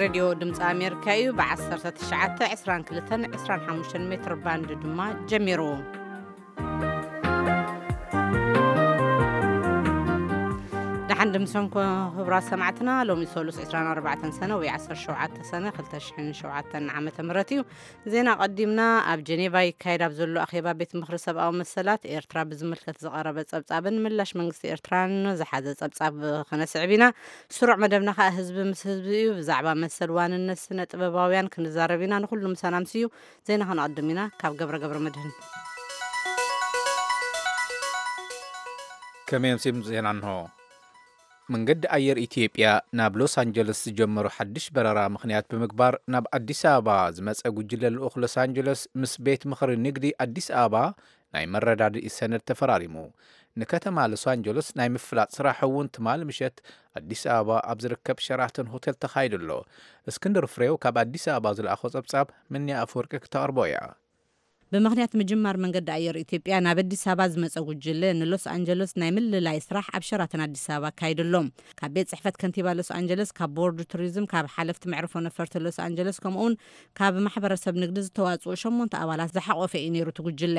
ሬድዮ ድምፂ ኣሜሪካ እዩ። ብ19፣ 22፣ 25 ሜትር ባንድ ድማ ጀሚሩ። ደሓን ድምሶም ክቡራት ሰማዕትና፣ ሎሚ ሰሉስ 24 ሰነ ወይ 17 ሰነ 2007 ዓመተ ምህረት እዩ። ዜና ቀዲምና። ኣብ ጀኔቫ ይካየድ ኣብ ዘሎ ኣኼባ ቤት ምኽሪ ሰብኣዊ መሰላት ኤርትራ ብዝምልከት ዝቐረበ ጸብጻብን ምላሽ መንግስቲ ኤርትራን ዝሓዘ ጸብጻብ ክነስዕብ ኢና። ስሩዕ መደብና ከኣ ህዝቢ ምስ ህዝቢ እዩ። ብዛዕባ መሰል ዋንነት ስነ ጥበባውያን ክንዛረብ ኢና። ንኹሉ ምሳና ምስዩ። ዜና ከነቐድም ኢና። ካብ ገብረ ገብረ መድህን። ከመይ ኣምሲም ዜና እንሆ። መንገዲ ኣየር ኢትዮጵያ ናብ ሎስ ኣንጀለስ ዝጀመሮ ሓድሽ በረራ ምኽንያት ብምግባር፣ ናብ ኣዲስ ኣበባ ዝመጸ ጉጅለ ልኡኽ ሎስ ኣንጀለስ ምስ ቤት ምኽሪ ንግዲ ኣዲስ ኣበባ ናይ መረዳድኢ ሰነድ ተፈራሪሙ። ንከተማ ሎስ ኣንጀለስ ናይ ምፍላጥ ስራሕ እውን ትማሊ ምሸት ኣዲስ ኣበባ ኣብ ዝርከብ ሸራተን ሆቴል ተኻይዱ ኣሎ። እስክንድር ፍሬው ካብ ኣዲስ ኣበባ ዝለኣኾ ጸብጻብ፣ ምንያ ኣፈወርቂ ክተቕርቦ እያ። ብምኽንያት ምጅማር መንገዲ ኣየር ኢትዮጵያ ናብ ኣዲስ ኣበባ ዝመጸ ጉጅለ ንሎስ ኣንጀለስ ናይ ምልላይ ስራሕ ኣብ ሸራተን ኣዲስ ኣበባ ኣካይዱ ኣሎ። ካብ ቤት ጽሕፈት ከንቲባ ሎስ ኣንጀለስ፣ ካብ ቦርድ ቱሪዝም፣ ካብ ሓለፍቲ መዕርፎ ነፈርቲ ሎስ ኣንጀለስ፣ ከምኡውን ካብ ማሕበረሰብ ንግዲ ዝተዋጽኡ ሸሞንተ ኣባላት ዝሓቖፈ እዩ ነይሩ እቲ ጉጅለ።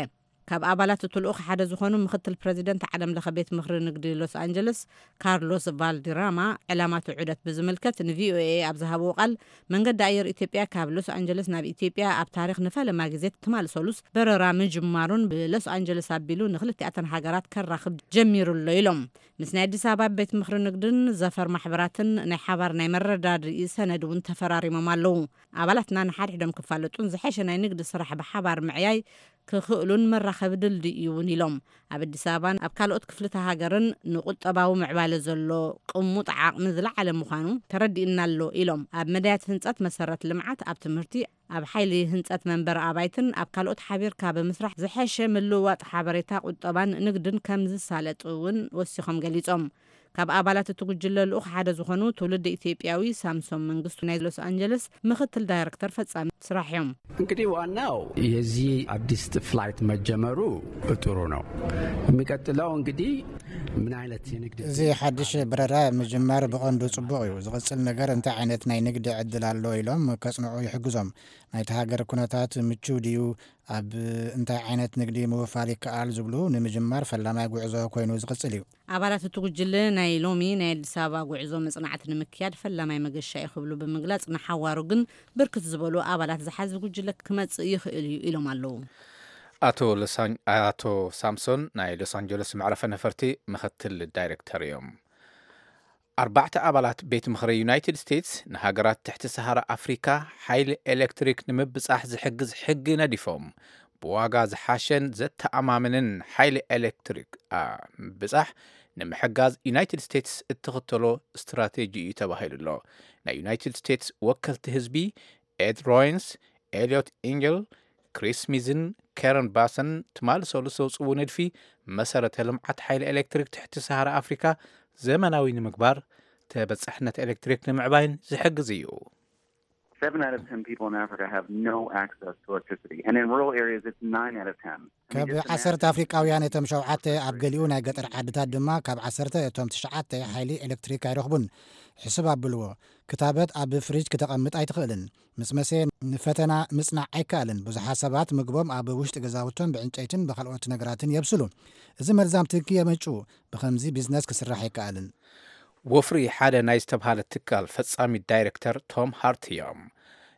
ካብ ኣባላት እቲ ልኡኽ ሓደ ዝኾኑ ምኽትል ፕረዚደንት ዓለም ለኸ ቤት ምኽሪ ንግዲ ሎስ ኣንጀለስ፣ ካርሎስ ቫልዲራማ፣ ዕላማ እቲ ዑደት ብዝምልከት ንቪኦኤ ኣብ ዝሃብዎ ቃል፣ መንገዲ ኣየር ኢትዮጵያ ካብ ሎስ ኣንጀለስ ናብ ኢትዮጵያ ኣብ ታሪኽ ንፈለማ ግዜ ትማሊ ሰሉስ በረራ ምጅማሩን ብሎስ ኣንጀለስ ኣቢሉ ንክልቲኣተን ሃገራት ከራኽብ ጀሚሩ ኣሎ ኢሎም። ምስ ናይ ኣዲስ ኣበባ ቤት ምኽሪ ንግድን ዘፈር ማሕበራትን ናይ ሓባር ናይ መረዳድኢ ሰነድ እውን ተፈራሪሞም ኣለዉ። ኣባላትና ንሓድሕዶም ክፋለጡን ዝሐሸ ናይ ንግዲ ስራሕ ብሓባር ምዕያይ ክኽእሉን መራኸቢ ድልድይ እዩ እውን ኢሎም። ኣብ ኣዲስ ኣበባን ኣብ ካልኦት ክፍልተ ሃገርን ንቁጠባዊ ምዕባለ ዘሎ ቅሙጥ ዓቕሚ ዝለዓለ ምዃኑ ተረዲእና ኣሎ ኢሎም። ኣብ መዳያት ህንጸት መሰረት ልምዓት፣ ኣብ ትምህርቲ፣ ኣብ ሓይሊ ህንጸት መንበሪ ኣባይትን ኣብ ካልኦት ሓቢርካ ብምስራሕ ዝሐሸ ምልውዋጥ ሓበሬታ ቁጠባን ንግድን ከም ዝሳለጥ እውን ወሲኾም ገሊጾም። ካብ ኣባላት እቲ ጉጅለ ልኡኽ ሓደ ዝኾኑ ትውልድ ኢትዮጵያዊ ሳምሶም መንግስቱ ናይ ሎስ ኣንጀለስ ምኽትል ዳይሬክተር ፈጻሚ ስራሕ እዮም። እንግዲህ ዋናው የዚህ አዲስ ፍላይት መጀመሩ ጥሩ ነው። የሚቀጥለው እንግዲህ ምን አይነት የንግድ እዚ ሓድሽ በረራ ምጅማር ብቐንዱ ጽቡቕ እዩ። ዝቕጽል ነገር እንታይ ዓይነት ናይ ንግዲ ዕድል ኣሎ ኢሎም ከጽንዑ ይሕግዞም። ናይቲ ሃገር ኩነታት ምቹው ድዩ፣ ኣብ እንታይ ዓይነት ንግዲ ምውፋር ይከኣል ዝብሉ ንምጅማር ፈላማይ ጉዕዞ ኮይኑ ዝቕጽል እዩ። ኣባላት እቲ ጉጅለ ናይ ሎሚ ናይ ኣዲስ ኣበባ ጉዕዞ መጽናዕቲ ንምክያድ ፈላማይ መገሻ እዩ ክብሉ ብምግላጽ፣ ንሓዋሩ ግን ብርክት ዝበሉ ኣባላት ዝሓዘ ጉጅለ ክመጽእ ይኽእል እዩ ኢሎም ኣለዉ። ኣቶ ሳምሶን ናይ ሎስ ኣንጀለስ መዕረፈ ነፈርቲ ምኽትል ዳይሬክተር እዮም። ኣርባዕተ ኣባላት ቤት ምኽሪ ዩናይትድ ስቴትስ ንሃገራት ትሕቲ ሰሃራ ኣፍሪካ ሓይሊ ኤሌክትሪክ ንምብጻሕ ዝሕግዝ ሕጊ ነዲፎም። ብዋጋ ዝሓሸን ዘተኣማምንን ሓይሊ ኤሌክትሪክ ምብጻሕ ንምሕጋዝ ዩናይትድ ስቴትስ እትኽተሎ ስትራቴጂ እዩ ተባሂሉ ኣሎ። ናይ ዩናይትድ ስቴትስ ወከልቲ ህዝቢ ኤድ ሮይንስ፣ ኤልዮት ኢንጀል፣ ክሪስ ሚዝን ከረን ባሰን ትማሊ ሰሉስ ዘውፅዎ ንድፊ መሰረተ ልምዓት ሓይሊ ኤሌክትሪክ ትሕቲ ሰሃራ ኣፍሪካ ዘመናዊ ንምግባር፣ ተበፃሕነት ኤሌክትሪክ ንምዕባይን ዝሕግዝ እዩ። Seven out of ten people in Africa have no access to electricity. And in rural areas, it's nine out of ten. I mean, ካብ just imagine- ዓሰርተ ኣፍሪቃውያን እቶም ሸውዓተ ኣብ ገሊኡ ናይ ገጠር ዓድታት ድማ ካብ ዓሰርተ እቶም ትሽዓተ ሓይሊ ኤሌክትሪክ ኣይረኽቡን። ሕስብ ኣብልዎ፣ ክታበት ኣብ ፍሪጅ ክተቐምጥ ኣይትኽእልን። ምስ መሰ ንፈተና ምጽናዕ ኣይከኣልን። ብዙሓት ሰባት ምግቦም ኣብ ውሽጢ ገዛውቶም ብዕንጨይትን ብካልኦት ነገራትን የብስሉ። እዚ መርዛም ትኪ የመንጭዉ። ብኸምዚ ቢዝነስ ክስራሕ ኣይከኣልን። ወፍሪ ሓደ ናይ ዝተብሃለ ትካል ፈጻሚ ዳይሬክተር ቶም ሃርት እዮም።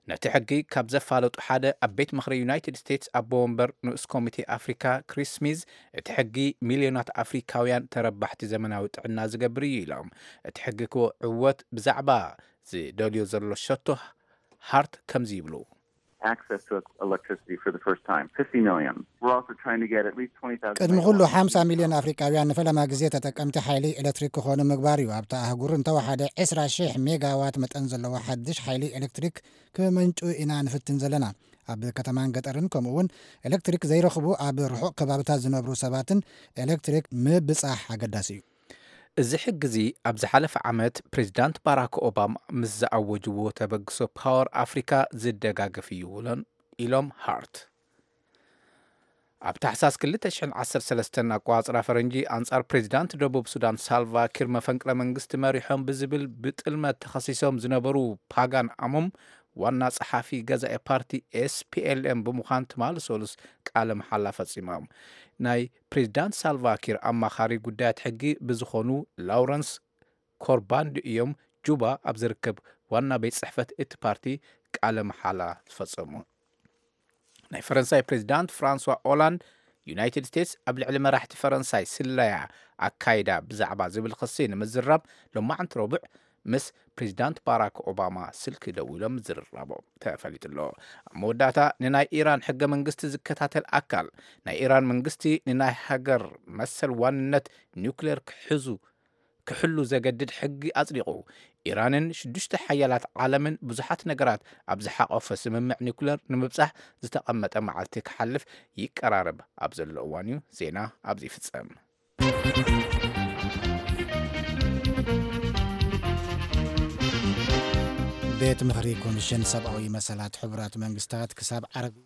ነቲ ሕጊ ካብ ዘፋለጡ ሓደ ኣብ ቤት ምኽሪ ዩናይትድ ስቴትስ ኣቦ ወንበር ንኡስ ኮሚቴ ኣፍሪካ ክሪስ ስሚዝ፣ እቲ ሕጊ ሚልዮናት ኣፍሪካውያን ተረባሕቲ ዘመናዊ ጥዕና ዝገብር እዩ ኢሎም። እቲ ሕጊ ክዕወት ብዛዕባ ዝደልዮ ዘሎ ሸቶ ሃርት ከምዚ ይብሉ። Access to electricity for the first time, fifty million. We're also trying to get at least twenty thousand. ቅድሚ ኩሉ ሓምሳ ሚልዮን ኣፍሪቃውያን ንፈለማ ግዜ ተጠቀምቲ ሓይሊ ኤሌክትሪክ ክኾኑ ምግባር እዩ። ኣብታ ኣህጉር እንተወሓደ ዕስራ ሺሕ ሜጋዋት መጠን ዘለዎ ሓድሽ ሓይሊ ኤሌክትሪክ ክመንጩ ኢና ንፍትን ዘለና። ኣብ ከተማን ገጠርን ከምኡ እውን ኤሌክትሪክ ዘይረኽቡ ኣብ ርሑቕ ከባብታት ዝነብሩ ሰባትን ኤሌክትሪክ ምብጻሕ ኣገዳሲ እዩ። እዚ ሕጊ እዚ ኣብ ዝሓለፈ ዓመት ፕሬዚዳንት ባራክ ኦባማ ምስ ዝኣወጅዎ ተበግሶ ፓወር ኣፍሪካ ዝደጋገፍ እዩ ኢሎም ሃርት። ኣብ ታሕሳስ ክልተ ሽሕን ዓሰርተ ሰለስተን ኣቋጽራ ፈረንጂ፣ ኣንጻር ፕሬዚዳንት ደቡብ ሱዳን ሳልቫ ኪር መፈንቅለ መንግስቲ መሪሖም ብዝብል ብጥልመት ተኸሲሶም ዝነበሩ ፓጋን ኣሞም፣ ዋና ጸሓፊ ገዛኢ ፓርቲ ኤስፒኤልኤም ብምዃን ትማሊ ሰሉስ ቃለ መሓላ ፈጺሞም። ናይ ፕሬዚዳንት ሳልቫ ኪር ኣማኻሪ ጉዳያት ሕጊ ብዝኾኑ ላውረንስ ኮርባንድ እዮም ጁባ ኣብ ዝርከብ ዋና ቤት ጽሕፈት እቲ ፓርቲ ቃለ መሓላ ዝፈጸሙ። ናይ ፈረንሳይ ፕሬዚዳንት ፍራንስዋ ኦላንድ፣ ዩናይትድ ስቴትስ ኣብ ልዕሊ መራሕቲ ፈረንሳይ ስለያ ኣካይዳ ብዛዕባ ዝብል ክሲ ንምዝራብ፣ ሎማዕንቲ ረቡዕ ምስ ፕሬዚዳንት ባራክ ኦባማ ስልኪ ደዊሎም ምዝርራቦም ተፈሊጡ ኣሎ። ኣብ መወዳእታ፣ ንናይ ኢራን ሕገ መንግስቲ ዝከታተል ኣካል፣ ናይ ኢራን መንግስቲ ንናይ ሃገር መሰል ዋንነት ኒውክሌር ክሕዙ ክሕሉ ዘገድድ ሕጊ ኣጽዲቑ። ኢራንን ሽዱሽተ ሓያላት ዓለምን ብዙሓት ነገራት ኣብ ዝሓቆፈ ስምምዕ ኒኩለር ንምብጻሕ ዝተቐመጠ መዓልቲ ክሓልፍ ይቀራረብ ኣብ ዘሎ እዋን እዩ። ዜና ኣብዚ ይፍጸም። ቤት ምኽሪ ኮሚሽን ሰብኣዊ መሰላት ሕቡራት መንግስታት ክሳብ ዓርቢ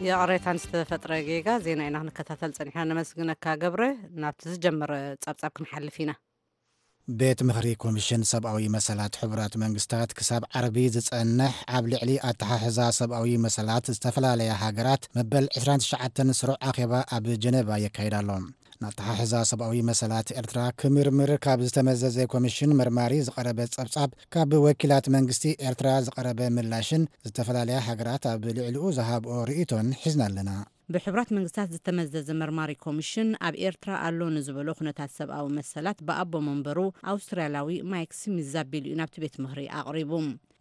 ይቕሬታ ንዝተፈጥረ ጌጋ ዜና ኢና ክንከታተል ጸኒሕና። ነመስግነካ ገብረ። ናብቲ ዝጀመረ ጸብጻብ ክንሓልፍ ኢና። ቤት ምኽሪ ኮሚሽን ሰብኣዊ መሰላት ሕቡራት መንግስታት ክሳብ ዓርቢ ዝጸንሕ ኣብ ልዕሊ ኣተሓሕዛ ሰብኣዊ መሰላት ዝተፈላለያ ሃገራት መበል ዕስራን ትሽዓተን ስሩዕ ኣኼባ ኣብ ጀነቫ የካይድ ኣሎ። ንኣተሓሕዛ ሰብኣዊ መሰላት ኤርትራ ክምርምር ካብ ዝተመዘዘ ኮሚሽን መርማሪ ዝቐረበ ጸብጻብ፣ ካብ ወኪላት መንግስቲ ኤርትራ ዝቐረበ ምላሽን ዝተፈላለያ ሃገራት ኣብ ልዕሊኡ ዝሃብኦ ርእይቶን ሒዝና ኣለና። ብሕቡራት መንግስታት ዝተመዘዘ መርማሪ ኮሚሽን ኣብ ኤርትራ ኣሎ ንዝበሎ ኩነታት ሰብኣዊ መሰላት ብኣቦ መንበሩ ኣውስትራልያዊ ማይክ ስሚዝ ዛቢሉ እዩ ናብቲ ቤት ምኽሪ ኣቕሪቡ።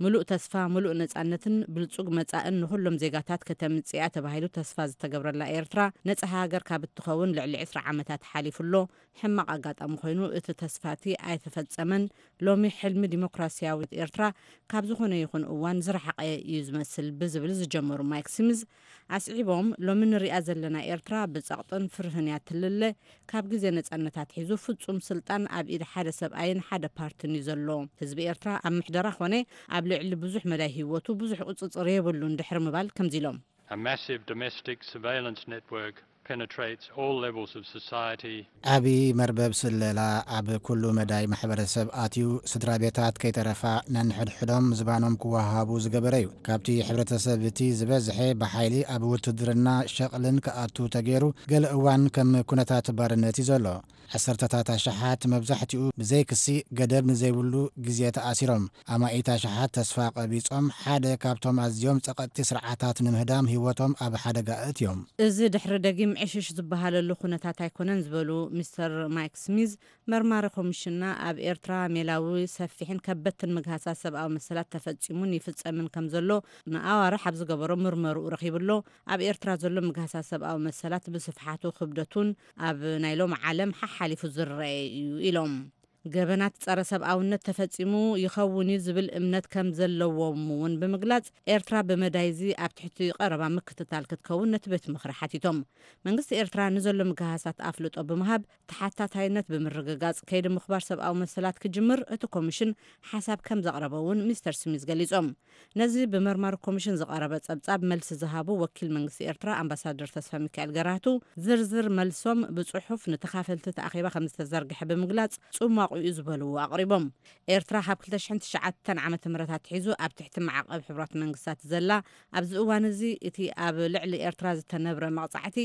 ምሉእ ተስፋ፣ ምሉእ ነጻነትን ብልጹግ መጻእን ንኹሎም ዜጋታት ከተምጽእያ ተባሂሉ ተስፋ ዝተገብረላ ኤርትራ፣ ነጻ ሃገር ካብ እትኸውን ልዕሊ ዕስራ ዓመታት ሓሊፉ ኣሎ። ሕማቕ ኣጋጣሚ ኮይኑ፣ እቲ ተስፋ እቲ ኣይተፈጸመን። ሎሚ ሕልሚ ዲሞክራስያዊት ኤርትራ ካብ ዝኾነ ይኹን እዋን ዝረሓቐ እዩ ዝመስል ብዝብል ዝጀመሩ ማይክ ስሚዝ ኣስዒቦም፣ ሎሚ ንሪኣ ዘለና ኤርትራ ብጸቕጥን ፍርህን እያ ትልለ። ካብ ግዜ ነጻነት ኣትሒዙ ፍጹም ስልጣን ኣብ ኢድ ሓደ ሰብኣይን ሓደ ፓርትን እዩ ዘሎ። ህዝቢ ኤርትራ ኣብ ምሕደራ ኾነ ኣብ ልዕሊ ብዙሕ መዳይ ህይወቱ ብዙሕ ቁጽጽር የብሉን ድሕሪ ምባል ከምዚ ኢሎም። A massive domestic surveillance network penetrates all levels of society. ዓቢ መርበብ ስለላ ኣብ ኩሉ መዳይ ማሕበረሰብ ኣትዩ፣ ስድራ ቤታት ከይተረፋ ነንሕድሕዶም ዝባኖም ክወሃሃቡ ዝገበረ እዩ። ካብቲ ሕብረተሰብ እቲ ዝበዝሐ ብሓይሊ ኣብ ውትድርና ሸቕልን ክኣቱ ተገይሩ፣ ገለ እዋን ከም ኩነታት ባርነት እዩ ዘሎ። ዓሰርተታት ኣሽሓት፣ መብዛሕትኡ ብዘይ ክሲ፣ ገደብ ንዘይብሉ ግዜ ተኣሲሮም። ኣማኢት ኣሽሓት ተስፋ ቀቢጾም፣ ሓደ ካብቶም ኣዝዮም ጸቐጥቲ ስርዓታት ንምህዳም ህይወቶም ኣብ ሓደጋ ኣእትዮም። እዚ ድሕሪ ደጊም ዕሽሽ ዝበሃለሉ ኩነታት ኣይኮነን ዝበሉ ሚስተር ማይክ ስሚዝ፣ መርማሪ ኮሚሽንና ኣብ ኤርትራ ሜላዊ፣ ሰፊሕን ከበድትን ምግሃሳት ሰብኣዊ መሰላት ተፈጺሙን ይፍጸምን ከም ዘሎ ንኣዋርሕ ኣብ ዝገበሮ ምርመርኡ ረኺቡ ኣሎ። ኣብ ኤርትራ ዘሎ ምግሃሳት ሰብኣዊ መሰላት ብስፍሓቱ ክብደቱን ኣብ ናይ ሎሚ ዓለም ሓሓሊፉ ዝረኣየ እዩ ኢሎም። ገበናት ጸረ ሰብኣውነት ተፈጺሙ ይኸውን እዩ ዝብል እምነት ከም ዘለዎም እውን ብምግላጽ፣ ኤርትራ ብመዳይዚ ኣብ ትሕቲ ቀረባ ምክትታል ክትከውን ነቲ ቤት ምኽሪ ሓቲቶም። መንግስቲ ኤርትራ ንዘሎ ምግሃሳት ኣፍልጦ ብምሃብ፣ ተሓታታይነት ብምርግጋጽ፣ ከይዲ ምኽባር ሰብኣዊ መሰላት ክጅምር እቲ ኮሚሽን ሓሳብ ከም ዘቕረበ እውን ሚስተር ስሚዝ ገሊጾም። ነዚ ብመርማሪ ኮሚሽን ዝቐረበ ጸብጻብ መልሲ ዝሃቡ ወኪል መንግስቲ ኤርትራ ኣምባሳደር ተስፋ ሚካኤል ገራህቱ፣ ዝርዝር መልሶም ብጽሑፍ ንተኻፈልቲ እቲ ኣኼባ ከም ዝተዘርግሐ ብምግላጽ፣ ጽሟቑ እዩ ዝበልዎ ኣቕሪቦም። ኤርትራ ካብ ክልተ ሽሕን ትሽዓተን ዓመተ ምህረት ኣትሒዙ ኣብ ትሕቲ ማዕቐብ ሕቡራት መንግስታት ዘላ፣ ኣብዚ እዋን እዚ እቲ ኣብ ልዕሊ ኤርትራ ዝተነብረ መቕጻዕቲ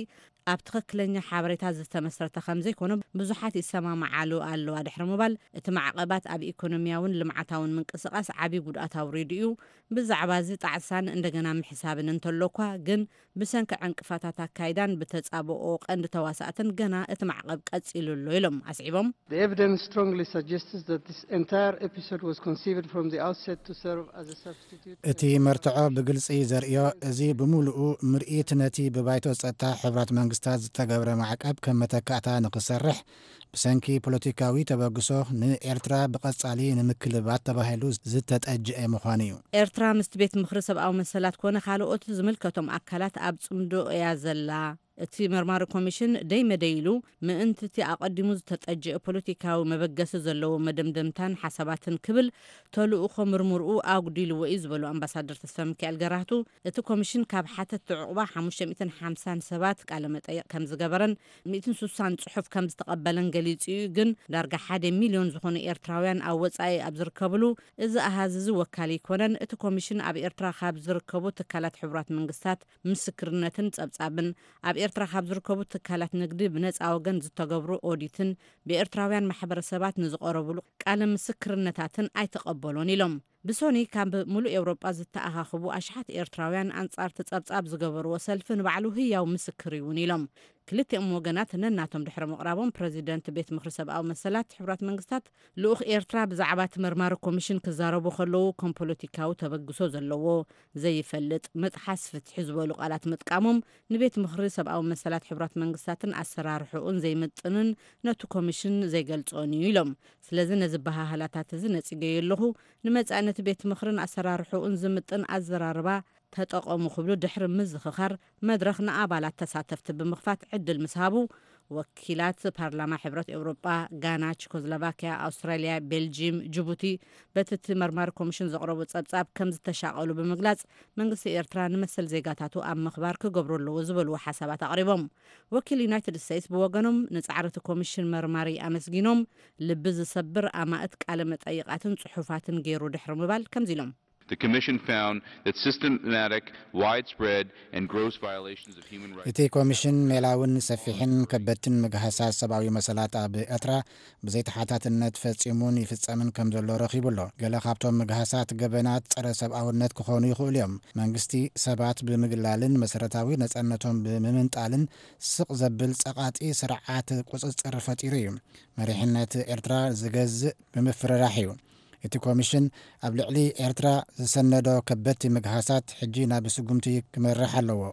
ኣብ ትኽክለኛ ሓበሬታ ዝተመስረተ ከም ዘይኮነ ብዙሓት ይሰማማዓሉ ኣለዋ ድሕሪ ምባል፣ እቲ ማዕቐባት ኣብ ኢኮኖሚያውን ልምዓታውን ምንቅስቓስ ዓቢ ጉድኣት ኣውሪዱ እዩ። ብዛዕባ እዚ ጣዕሳን እንደገና ምሕሳብን እንተሎ እኳ፣ ግን ብሰንኪ ዕንቅፋታት ኣካይዳን ብተጻብኦ ቀንዲ ተዋሳእትን ገና እቲ ማዕቐብ ቀጺሉ ኣሎ ኢሎም ኣስዒቦም። The evidence strongly suggests that this entire episode was conceived from the outset to serve as a substitute. እቲ መርትዖ ብግልጺ ዘርእዮ፣ እዚ ብምሉኡ ምርኢት ነቲ ብባይቶ ጸጥታ ሕቡራት መንግስታት ዝተገብረ ማዕቀብ ከም መተካእታ ንኽሰርሕ፣ ብሰንኪ ፖለቲካዊ ተበግሶ ንኤርትራ ብቐጻሊ ንምክልባት ተባሂሉ ዝተጠጅአ ምዃኑ እዩ። ኤርትራ ምስቲ ቤት ምኽሪ ሰብኣዊ መሰላት ኮነ ካልኦት ዝምልከቶም ኣካላት ኣብ ጽምዶ እያ ዘላ። እቲ መርማሪ ኮሚሽን ደይ መደይ ኢሉ ምእንቲ እቲ ኣቐዲሙ ዝተጠጀአ ፖለቲካዊ መበገሲ ዘለዎ መደምደምታን ሓሳባትን ክብል ተልእኾ ምርምርኡ ኣጉዲልዎ እዩ ዝበሉ ኣምባሳደር ተስፋ ሚካኤል ገራህቱ፣ እቲ ኮሚሽን ካብ ሓተትቲ ዕቑባ ሓሙሽተ ሚእትን ሓምሳን ሰባት ቃለ መጠይቕ ከም ዝገበረን ሚእትን ስሳን ጽሑፍ ከም ዝተቐበለን ገሊጹ እዩ። ግን ዳርጋ ሓደ ሚልዮን ዝኾኑ ኤርትራውያን ኣብ ወጻኢ ኣብ ዝርከብሉ፣ እዚ ኣሃዝ እዚ ወካሊ ኣይኮነን። እቲ ኮሚሽን ኣብ ኤርትራ ካብ ዝርከቡ ትካላት ሕቡራት መንግስታት ምስክርነትን ጸብጻብን፣ ኣብ ኤርትራ ካብ ዝርከቡ ትካላት ንግዲ ብነጻ ወገን ዝተገብሩ ኦዲትን ብኤርትራውያን ማሕበረሰባት ንዝቐረብሉ ቃለ ምስክርነታትን ኣይተቐበሎን ኢሎም። ብሶኒ ካብ ሙሉእ ኤውሮጳ ዝተኣኻኽቡ ኣሽሓት ኤርትራውያን ኣንጻር እቲ ጸብጻብ ዝገበርዎ ሰልፊ ንባዕሉ ህያው ምስክር እዩ እውን ኢሎም። ክልቲኦም ወገናት ነናቶም ድሕሪ ምቕራቦም፣ ፕረዚደንት ቤት ምኽሪ ሰብኣዊ መሰላት ሕቡራት መንግስታት ልኡኽ ኤርትራ ብዛዕባ እቲ መርማሪ ኮሚሽን ክዛረቡ ከለዉ፣ ከም ፖለቲካዊ ተበግሶ ዘለዎ፣ ዘይፈልጥ፣ መጥሓስ ፍትሒ ዝበሉ ቃላት ምጥቃሞም፣ ንቤት ምኽሪ ሰብኣዊ መሰላት ሕቡራት መንግስታትን ኣሰራርሕኡን ዘይምጥንን ነቲ ኮሚሽን ዘይገልጾን እዩ ኢሎም። ስለዚ ነዚ በሃህላታት እዚ ነጺገዮ ኣለኹ። ንመጻኢ ነቲ ቤት ምኽርን ኣሰራርሕኡን ዝምጥን ኣዘራርባ ተጠቐሙ ክብሉ ድሕሪ ምዝኽኻር፣ መድረኽ ንኣባላት ተሳተፍቲ ብምኽፋት ዕድል ምስ ሃቡ፣ ወኪላት ፓርላማ ሕብረት ኤውሮጳ፣ ጋና፣ ቸኮስሎቫኪያ፣ ኣውስትራልያ፣ ቤልጂም፣ ጅቡቲ በቲ እቲ መርማሪ ኮሚሽን ዘቕረቦ ጸብጻብ ከም ዝተሻቐሉ ብምግላጽ፣ መንግስቲ ኤርትራ ንመሰል ዜጋታቱ ኣብ ምኽባር ክገብሮ ኣለዎ ዝበልዎ ሓሳባት ኣቕሪቦም። ወኪል ዩናይትድ ስቴትስ ብወገኖም ንጻዕሪ እቲ ኮሚሽን መርማሪ ኣመስጊኖም፣ ልቢ ዝሰብር ኣማእት ቃለ መጠይቓትን ጽሑፋትን ገይሩ ድሕሪ ምባል ከምዚ ኢሎም። The commission found that systematic, widespread, and gross violations of human rights እቲ ኮሚሽን ሜላውን ሰፊሕን ከበድትን ምግሃሳት ሰብኣዊ መሰላት ኣብ ኤርትራ ብዘይተሓታትነት ፈጺሙን ይፍጸምን ከም ዘሎ ረኺቡ ኣሎ። ገለ ካብቶም ምግሃሳት ገበናት ጸረ ሰብኣውነት ክኾኑ ይኽእሉ እዮም። መንግስቲ ሰባት ብምግላልን መሰረታዊ ነጻነቶም ብምምንጣልን ስቕ ዘብል ጸቓጢ ስርዓት ቁጽጽር ፈጢሩ እዩ። መሪሕነት ኤርትራ ዝገዝእ ብምፍርራሕ እዩ። እቲ ኮሚሽን ኣብ ልዕሊ ኤርትራ ዝሰነዶ ከበድቲ ምግሃሳት ሕጂ ናብ ስጉምቲ ክመርሕ ኣለዎ።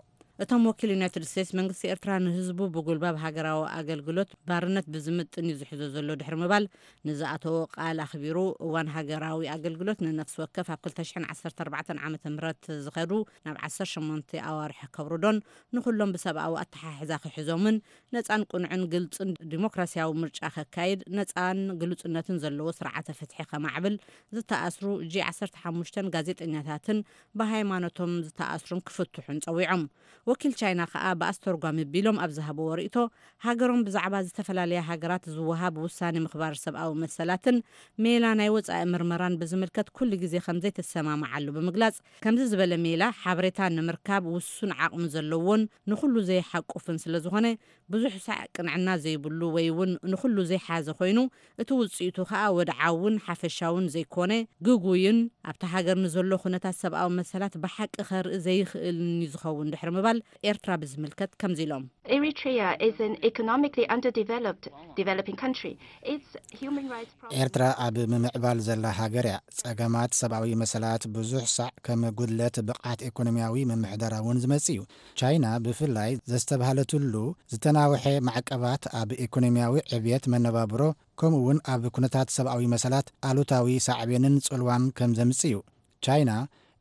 እቶም ወኪል ዩናይትድ ስቴትስ፣ መንግስቲ ኤርትራ ንህዝቡ ብጉልባብ ሃገራዊ ኣገልግሎት ባርነት ብዝምጥን እዩ ዝሕዞ ዘሎ ድሕሪ ምባል፣ ንዝኣተዎ ቃል ኣኽቢሩ እዋን ሃገራዊ ኣገልግሎት ንነፍሲ ወከፍ ኣብ ክልተ ሽሕን ዓሰርተ ኣርባዕተን ዓመተ ምህረት ዝኸዱ ናብ ዓሰርተ ሸሞንተ ኣዋርሕ ከብርዶን ንኹሎም ብሰብኣዊ ኣተሓሕዛ ክሕዞምን ነጻን ቅኑዕን ግልጽን ዲሞክራሲያዊ ምርጫ ከካይድ፣ ነጻን ግሉጽነትን ዘለዎ ስርዓተ ፍትሒ ከማዕብል፣ ዝተኣስሩ ጂ ዓሰርተ ሓሙሽተን ጋዜጠኛታትን ብሃይማኖቶም ዝተኣስሩን ክፍትሑን ጸዊዖም። ወኪል ቻይና ከኣ ብኣስተርጓሚ ቢሎም ኣብ ዝሃብዎ ርእይቶ፣ ሃገሮም ብዛዕባ ዝተፈላለያ ሃገራት ዝወሃብ ውሳኔ ምኽባር ሰብኣዊ መሰላትን ሜላ ናይ ወጻኢ ምርመራን ብዝምልከት ኩሉ ግዜ ከም ዘይተሰማምዓሉ ብምግላጽ፣ ከምዚ ዝበለ ሜላ ሓበሬታ ንምርካብ ውሱን ዓቕሚ ዘለዎን ንኹሉ ዘይሓቁፍን ስለ ዝኾነ፣ ብዙሕ ሳዕ ቅንዕና ዘይብሉ ወይ እውን ንኹሉ ዘይሓዘ ኮይኑ፣ እቲ ውጽኢቱ ከኣ ወድዓውን ሓፈሻውን ዘይኮነ፣ ግጉይን ኣብታ ሃገር ንዘሎ ኩነታት ሰብኣዊ መሰላት ብሓቂ ከርኢ ዘይኽእልን እዩ ዝኸውን ድሕሪ ምባል፣ ኤርትራ ብዝምልከት ከምዚ ኢሎም። Eritrea is an economically underdeveloped developing country. Its human rights problems ኤርትራ ኣብ ምምዕባል ዘላ ሃገር እያ። ጸገማት ሰብኣዊ መሰላት ብዙሕ ሳዕ ከም ጉድለት ብቕዓት ኤኮኖሚያዊ ምምሕዳራውን ዝመጽእ እዩ። ቻይና ብፍላይ ዘስተብሃለትሉ ዝተናውሐ ማዕቀባት ኣብ ኤኮኖሚያዊ ዕብየት መነባብሮ ከምኡ እውን ኣብ ኩነታት ሰብኣዊ መሰላት ኣሉታዊ ሳዕቤንን ጽልዋን ከም ዘምጽእ እዩ። ቻይና፣